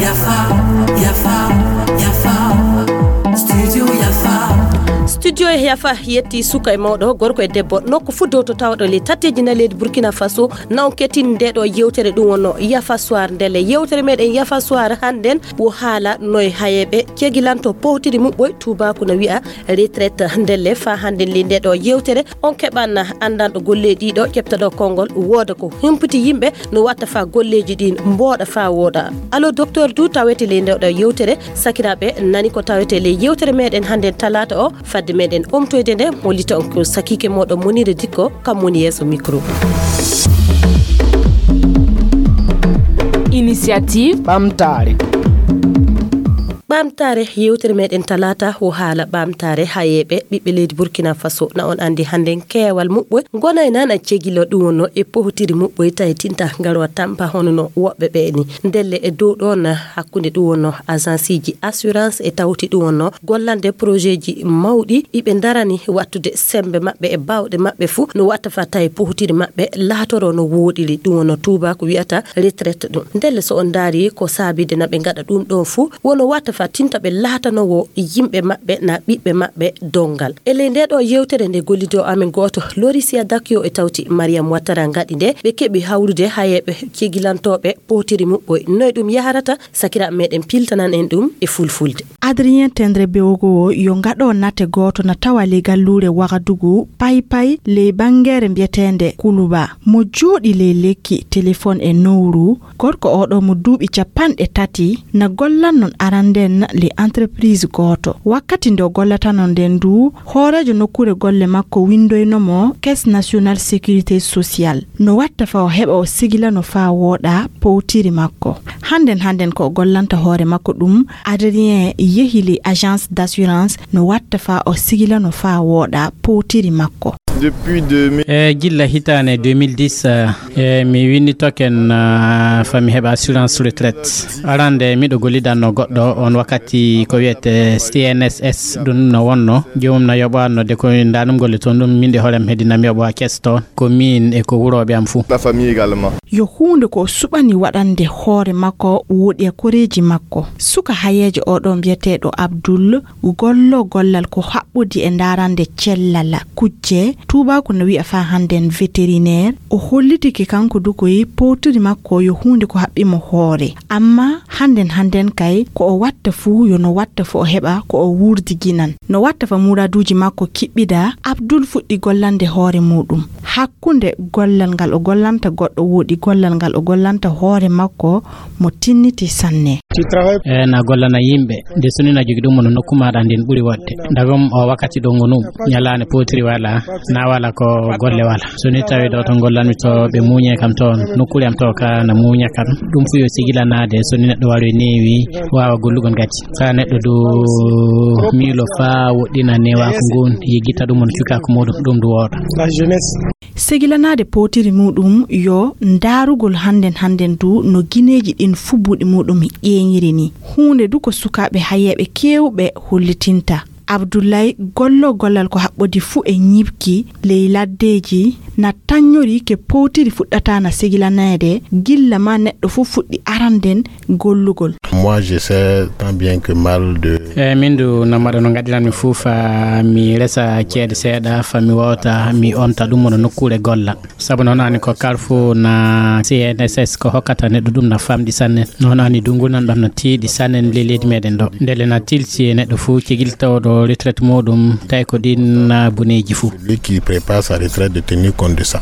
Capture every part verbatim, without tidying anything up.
Yafa, yafa, yafa. Studio yafa. Studio yafa yetti suka e mawɗo, gorko e debbo, nokku fuu dow to tawɗo ley tatteeji na leydi Burkina Faso. Na on kettini nde ɗo yewtere, ɗum wonno Yafa Soir. Ndelle yewtere meɗen Yafa Soir hannden wo haala noy hayeeɓe cegilanto powtiri muɓɓoy, tuubaaku na wi'a retraite. Ndelle faa hannden ley nde ɗo yewtere on keɓan anndanɗo golleeji ɗiɗo, ƴeptaɗo konngol, wooda ko humpiti yimɓe no watta faa golleeji ɗin mbooɗa faa wooɗa. Allo Docteur du tawete ley nde ɗo yewtere. Sakiraaɓe, nani ko tawete ley yewtere meɗen hannden talaata o, fadde meɗen omtoyde nde, mo lito on ko sakiike mooɗon Monire Dikko, kam woni yeeso micro. Initiative Ɓamtaare. Ɓamtaare, yewtere meɗen talaata wo haala ɓamtaare hayeeɓe ɓiɓɓe leydi Burkina Faso. Na on anndi hannden keewal muɓɓoy ngonay nan a cegilo, ɗum wonno e powtiri muɓɓoy tawi tinta ngarwa tampa hono no woɓɓe ɓe ni. Ndelle e dow ɗon hakkunde ɗum wonno agenceeji assurance e tawti ɗum wonno gollande projetji mawɗi ɗi ɓe ndarani wattude semmbe maɓɓe e baawɗe maɓɓe fuu no watta faa tawi powtiri maɓɓe laatoro no wooɗiri, ɗum wonno tuubaaku wi'ata retraite ɗum. Ndelle so on ndaari ko saabide na ɓe ngaɗa ɗum ɗon fuu, wono watta faa tinta ɓe laatanowo yimɓe maɓɓe na ɓiɓɓe maɓɓe donngal. E ley nde ɗo yewtere nde gollido amen gooto, Lorisia Dakio e tawti Mariam Ouattara ngaɗi nde, ɓe keɓi hawrude hayeeɓe cegilantooɓe powtiri muɓɓoy. Noy ɗum yahrata? Sakiraaɓe meɗen piltanan en ɗum e fulfulde. Adrien Tendre Bewogo o yo ngaɗo nate gooto na tawa ley galluure Wagadugu, Paypay, ley banngeere mbiyeteende Kuluba. Mo jooɗi ley lekki, telefon e nowru, gorko oɗo mo duuɓi capanɗe tati na gollan non aranden ley entreprise gooto. Wakkati nde o gollata non nden du, hooreejo nokkuure golle makko windoyno mo Caisse Nationale Sécurité Sociale. No watta faa o heɓa o sigilano faa wooɗa powtiri makko. Hannden hannden ko o gollanta hoore makko ɗum, Adrien yehi ley agence d'assurance no watta faa o sigilano faa wooɗa powtiri makko. Depuis deux mille. E gilla hitaande deux mille dix, e mi winni token, ah, faa mi heɓa assurance retraite. Arande miɗo gollidanno goɗɗo on wakkati ko wiyete C N S S, ɗum no wonno joomum na yoɓa nodde ko ndanum golle toon, ɗum min de hoorem heddinam yoɓa kes toon. Ko min e ko wurooɓe am fuu. La famille également. Yo huunde ko o suɓani waɗande hoore makko woɗɗi e koreeji makko. Suka hayeejo oɗo mbiyeteeɗo Abdul gollo gollal ko haɓɓodi e ndaarande cellal kujje, tuubaaku no wi'a faa hannden vétérinaire. O hollitike kanko du koy powtiri makko yo huunde ko haɓɓi mo hoore. Amma hannden hannden kay ko o watta fuu yo no watta fuu o heɓa ko o wuurdiginan. No watta faa muraduuji makko kiɓɓida, Abdul fuɗɗi gollande hoore muuɗum. Hakkunde gollal ngal o gollanta goɗɗo woɗɗi gollal ngal o gollanta hoore makko mo tinniti sanne. E na gollana yimɓe, nde so ni na jogi ɗum no nokku maaɗa nden ɓuri woɗde. Ndagam o wakkati ɗo ngonu, ñalaande powtiri wala, na wala ko golle wala. So ni tawi ɗo to gollanmi to ɓe muuñe kam toon, nokkuure am to ka na muuña kam. Ɗum fuu yo sigilanaade so ni neɗɗo wari neewi waawa gollugol ngati. Faa neɗɗo du miilo faa woɗɗina newaako ngun, yiggita ɗum on cukaaku muuɗum, ɗum du wooɗa. La jeunesse. Segilanaade powtiri muuɗum yo ndaarugol hannden hannden du no gineeji ɗin fuu buuɗi muuɗum ƴeeñiri ni. Huunde du ko sukaaɓe hayeeɓe keewɓe hollitinta. Abdullaay gollo gollal ko haɓɓodi fuu e ñiɓki ley laddeeji na taññori ke powtiri fuɗɗata na segilanaade gilla ma neɗɗo fuu fuɗɗi aranden gollugol. Moi, je sais tant bien que mal de. E min du no mbaɗa no ngaɗiranmi fuu faa mi resa ceede seeɗa, faa mi wawta mi onta ɗum wona nokkuure golla. Sabu noon ani ko Carrefour na C N S S ko hokkata neɗɗo ɗum na famɗi sanne. Noon ani du ngunan ɗam na tiiɗi sanne ley leydi meɗen ɗo. Ndelle na tilsi e neɗɗo fuu cegil tawɗo retraite muɗum tawi ko ɗin na boneeji fuu. Celui qui prépare sa retraite de tenir compte de ça.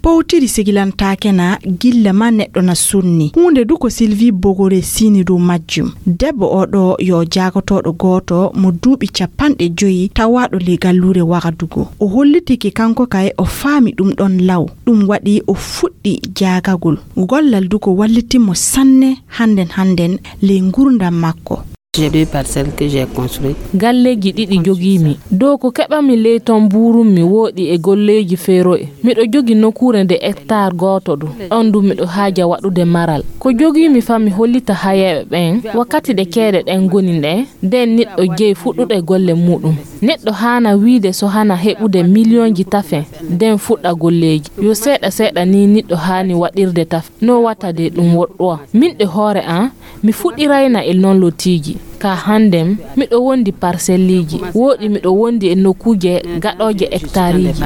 Powtiri sigilantaake na gilla ma neɗɗo na sunni. Huunde du ko Sylvie Bogore sini dow majjum. Debbo oo ɗoo yo jaagotooɗo gooto mo duuɓi capanɗe joyi tawaaɗo ley galluure Wagadugu. O hollitike kanko kay o faami ɗum ɗon law. Ɗum waɗi o fuɗɗi jaagagol. Gollal du ko walliti mo sanne hannden hannden ley nguurndam makko. J'ai deux parcelles que j'ai construites. Galleeji ɗiɗi jogiimi. Dow ko keɓanmi ley ton mbuurunmi wooɗi e golleeji fero'e. Miɗo jogi nokuure nde hectare gooto du. Ɗon du miɗo haaja waɗude maral. Ko jogiimi faa mi hollita hayeeɓe ɓen, wakkati ɗe ceede ɗen ngoni nde, nden niɗɗo jeyi fuɗɗude golle muuɗum. Neɗɗo haana wiide so hana heɓude miliyonji tafe nden fuɗɗa golleeji. Yo seeɗa seeɗa ni niɗɗo haani waɗirde tafe. No wata de ɗum woɗɗowa. Min ɗe hoore an, mi fuɗɗirayna e non lotiiji. Ka hannden, miɗo wondi parselliiji. Wooɗi miɗo wondi e nokkuuje gaɗooje hectareeji.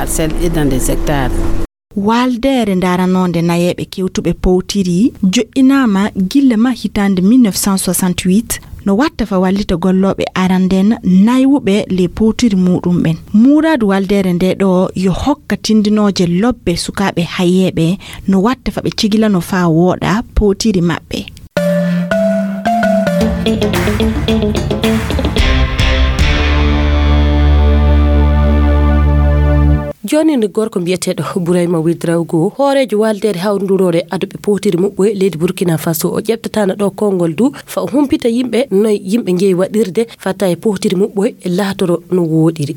Waaldeere ndaranoonde nayeeɓe kewtuɓe powtiri joƴƴinaama gilla ma hitaande mille neuf cent soixante-huit, no watta fa wallita gollooɓe aranden naywuɓe le powtiri muuɗum ɓen. Muuraadu waaldeere nde ɗo yo hokka tindinooje lobbe sukaaɓe hayeeɓe no watta fa ɓe cigilano faa wooɗa powtiri maɓɓe. Jooni, gorko mbiyeteeɗo Burayma Widraugo, hooreejo waaldeere hawrunduroore aduɓe powtiri muɓɓoye leydi Burkina Faso, o ƴeɓtataana ɗo konngol du fa o humpita yimɓe noy yimɓe njeyi waɗirde fatta e powtiri muɓɓoye laatoro no wooɗiri.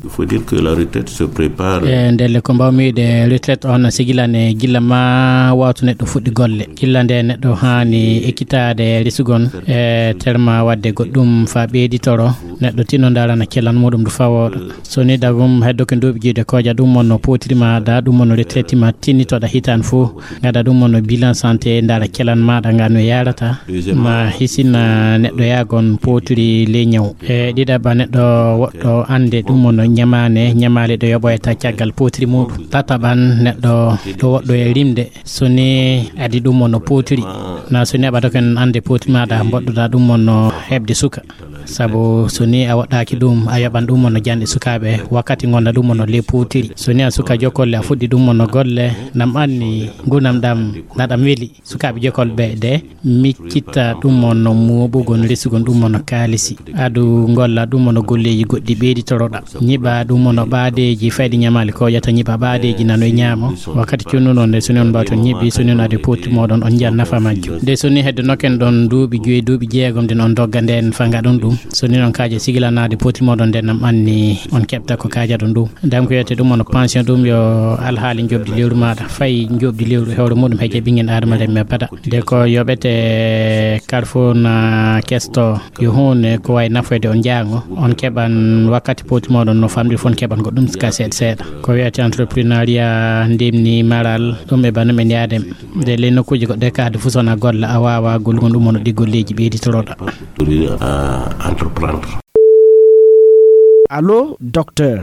E ndelle ko mbawmi wiide, retraite on sigilane gilla ma wawto neɗɗo fuɗɗi golle. Gilla nde neɗɗo haani ekkitaade risugon e terma wadde goɗɗum fa ɓeyditoro, neɗɗo tinno ndarana kelan muɗum du fa wooɗa. So ni dagum heddo ko duuɓi jiiɗe koja ɗum wonno powtiri ma da, ɗum wonno retraite ma tinnitoɗa hitan fo, gada ɗum wonno bilan santé, ndara kelan maɗa nga no yarata, ma hisina neɗɗo yagon powtiri ley ñaw. E ɗiɗaɓa neɗɗo woɗɗo ande ɗum wonno ñamane, ñamale ɗo yoɓoyta caggal powtiri muɗum. Tataɓan neɗɗo ɗo woɗɗo e rimde, so ni adi ɗum wonno powtiri, na so ni aɓa doken ande powtiri maɗa mboɗɗoɗa ɗum wonno heɓde suka. Sabu so ni a woɗɗaaki ɗum, a yoɓan ɗum wonno janɗe sukaaɓe wakkati ngonɗa ɗum wonno ley powtiri. So ni a suka jokolle, a fuɗɗi ɗum wonno golle, nam anni ngunam ɗam naɗam weli. Sukaaɓe jokolɓe de miccitta ɗum wonno mooɓugol, resugol ɗum wonno kaalisi. Adu ngolla ɗum wonno golleeji goɗɗi ɓeyditoroɗa. Ñiɓa ɗum wonno ɓaadeeji fayde ñamaali ko ƴata ñiɓa ɓaadeeji nano e ñaamo. Wakkati cunnuɗon nde so ni on mbawton ñiɓi, so ni on adi powtiri moɗon on njiyan nafa majjum. Nde so ni hedde noken ɗon duuɓi joyi, duuɓi jeegom den on dogga nden fa ngaɗon ɗum. So ni on kaaja sigilanaade powtiri moɗon nden nam anni on keɓta ko kaajaɗon ɗum. Dam ko wiyete ɗum wonno pension ɗum yo alhaali njoɓdi lewru maɗa. Fay njoɓdi lewru e hoore muɗum he jaɓingen adama remme bada. De ko yoɓete kala fof na kesto yo hunde ko wawi nafoyde on jaango. On keɓan wakkati powtiri moɗon no famɗi fof on keɓan goɗɗum ka seeɗa seeɗa. Ko wiyete entreprenariat ndimni maral ɗum e banum en yaadem. Nde ley nokkuuji goɗɗe ka hade fof so wona golla a wawa gollugo ɗum wonno ɗi golleeji ɓeyditoroɗa. Allo docteur.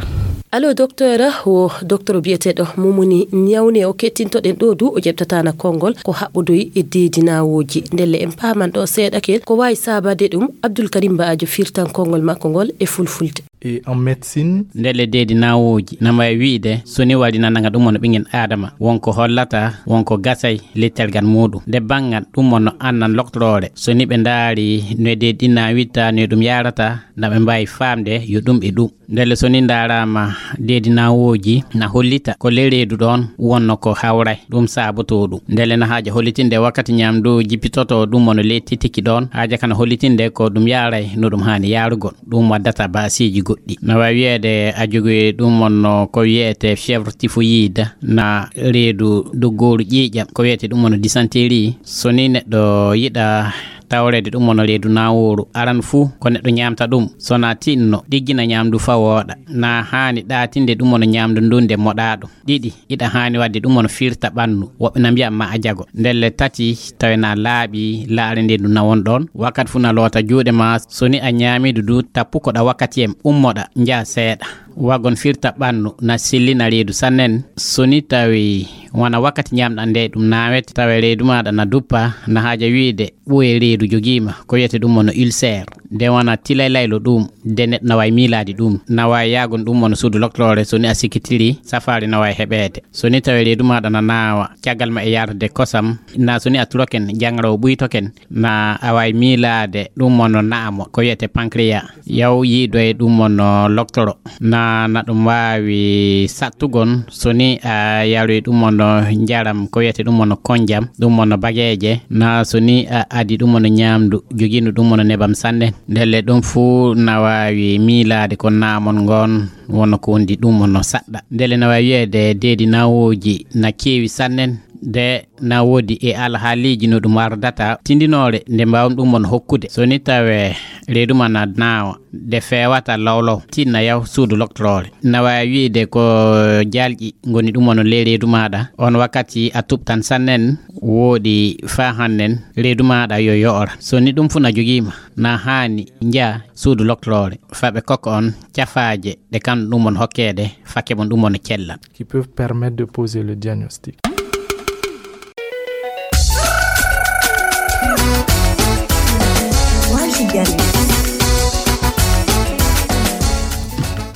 Allo docteur, wo docteur biyeteɗo mumuni ñawne o kettintoɗen ɗo du o ƴeɓtatana konngol ko haɓɓodoyi e deedi nawoji. Ndelle en paman ɗo seeɗa kel ko wawi sabade ɗum. Abdoul Karim Baajo firtan konngol makko ngol e fulfulde. E en médecine. Ndelle deedi nawoji na wawi wiide so ni waɗi nananga ɗum wonno ɓingen adama wonko hollata wonko gasay lettel gal muɗum nde bangal ɗum wonno annan loktoroore so ni ɓe ndaari no e deedi ɗin nawitta no e ɗum yarata na ɓe mbawi famde yo ɗum e ɗum. Ndelle so ni ndarama deedi nawoji na hollita ko ley reedu ɗon wonno ko hawray ɗum saboto ɗum. Ndelle na haaja hollitinde wakkati ñamdu jippitoto ɗum wonno ley titiki ɗon haaja kana hollitinde ko ɗum yaray no ɗum hani yarugol. Ɗum waddata baasiiji goɗɗi. Na wawi wiyeede a jogui ɗum wonno ko wiyete fièvre typhoïde na reedu doggooru ƴiiƴam ko wiyete ɗum wonno dysenterie. So ni neɗɗo yiɗa tawreede ɗum wonno reedu naworu aran fuu ko neɗɗo ñamta ɗum so na tinno ɗiggina ñamdu fa wooɗa. Na hani ɗatinde ɗum wonno ñamdu ndun nde moɗaɗo. Ɗiɗi iɗa hani wadde ɗum wonno firta ɓannu woɓɓe na mbiya ma a jago ndelle tati tawi na laaɓi laare nde ndu nawon ɗon wakkati fuu na loota juuɗe ma so ni a ñaamidu du tappu koɗa wakkati en ummoɗa njaha seeɗa. Wagon firta ɓannu na sellina reedu sannen so ni tawi wona wakkati ñamɗa nde ɗum nawete tawa reedu maɗa na duppa na haaja wiide ɓooye reedu jogiima ko wiyete ɗum wonno ulcère. Nde wona tilaylaylo ɗum de neɗɗo na wawi miilaade ɗum na wawi yaagon ɗum wonno suudu loktoroore so ni a sikkitiri safaari na wawi heɓeede. So ni tawi reedu maɗa na naawa caggal ma e yaarde kosam na so ni a turoken jangarowo ɓuytoken na a wawi miilaade ɗum wonno naamo ko wiyete pancréas. Yaw yiidoye ɗum wonno loktoro na na ɗum wawi sattugon so ni a yaroyi ɗum wonno njaram ko wiyete ɗum wonno konjam ɗum wonno bageeje na so ni a adi ɗum wonno ñamdu jogindu ɗum wonno nebam sanne. Ndelle ɗum fuu na wawi miilaade ko naamon ngon wonno ko wondi ɗum wonno saɗɗa ndelle na wawi wiyeede deedi nawoji na keewi sannen. De na woodi e alhaaliiji no ɗum ardata tindinoore nde mbawmi ɗum won hokkude so ni tawe reedu ma na naawa, nde feewata lawlaw, tinna yaw suudu loktoroore. Na waawi wiyde ko jaalƴi ngoni ɗum woni ley reedu maaɗa. On wakkati a tuɓtan sannen, wooɗi faa hannen, reedu maaɗa yo yoora. So ni ɗum fuu na jogii ma, na haani njaa suudu loktoroore, faa ɓe kokka on cafaaje ɗe kam ɗum woni hokkeede, faa keɓon ɗum woni cellal. Qui peuvent permettre de poser le diagnostic.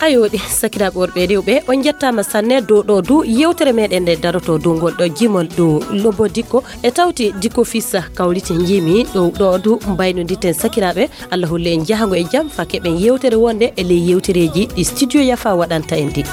Ayo ɗi sakiraaɓe worɓe e rewɓe, on njettaama sanne dow ɗo du yewtere meɗen nde daroto dow ngol ɗo jimol ɗo Lobo Dikko e tawti Dikko Fissa kawriti njiimi ɗo ɗo du mbaynodirten sakiraaɓe. Allah holle en jahango e jam faa keɓen yewtere wonde e ley yewtereeji ɗi studio Yafa waɗanta en ɗi.